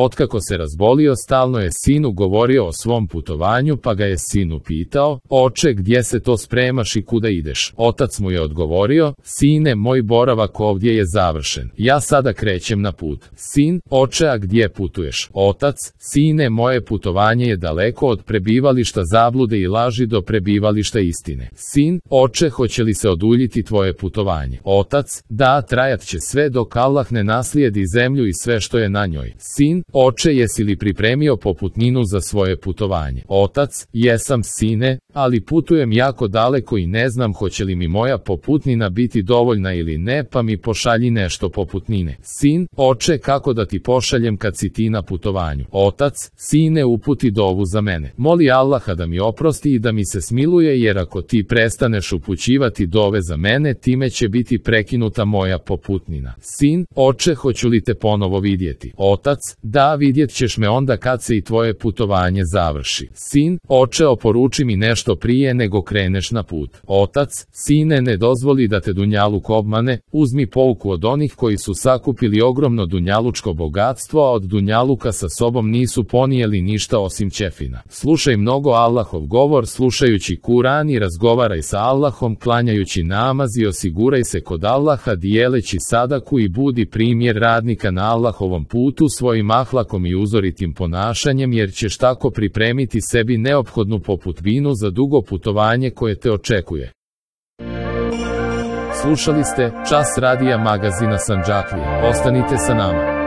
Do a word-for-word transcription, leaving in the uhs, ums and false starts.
Otkako se razbolio, stalno je sinu govorio o svom putovanju, pa ga je sin upitao: oče, gdje se to spremaš i kuda ideš? Otac mu je odgovorio: sine, moj boravak ovdje je završen. Ja sada krećem na put. Sin: oče, a gdje putuješ? Otac: sine, moje putovanje je daleko od prebivališta zablude i laži do prebivališta istine. Sin: oče, hoće li se oduljiti tvoje putovanje? Otac: da, trajat će sve dok Allah ne naslijedi zemlju i sve što je na njoj. Sin: oče, jesi li pripremio poputninu za svoje putovanje? Otac: jesam, sine, ali putujem jako daleko i ne znam hoće li mi moja poputnina biti dovoljna ili ne, pa mi pošalji nešto poputnine. Sin: oče, kako da ti pošaljem kad si ti na putovanju? Otac: sine, uputi dovu za mene. Moli Allaha da mi oprosti i da mi se smiluje, jer ako ti prestaneš upućivati dove za mene, time će biti prekinuta moja poputnina. Sin: oče, hoću li te ponovo vidjeti? Otac: da, vidjet ćeš me onda kad se i tvoje putovanje završi. Sin: oče, oporuči mi nešto prije nego kreneš na put. Otac: sine, ne dozvoli da te dunjaluk obmane, uzmi pouku od onih koji su sakupili ogromno dunjalučko bogatstvo, a od dunjaluka sa sobom nisu ponijeli ništa osim ćefina. Slušaj mnogo Allahov govor, slušajući Kur'an, i razgovaraj sa Allahom, klanjajući namaz i osiguraj se kod Allaha, dijeleći sadaku i budi primjer radnika na Allahovom putu svojim ahlakom i uzoritim ponašanjem, jer ćeš tako pripremiti sebi neophodnu poputbinu za dugo putovanje koje te očekuje. Slušali ste Čas radija magazina Sandžaklija. Ostanite sa nama.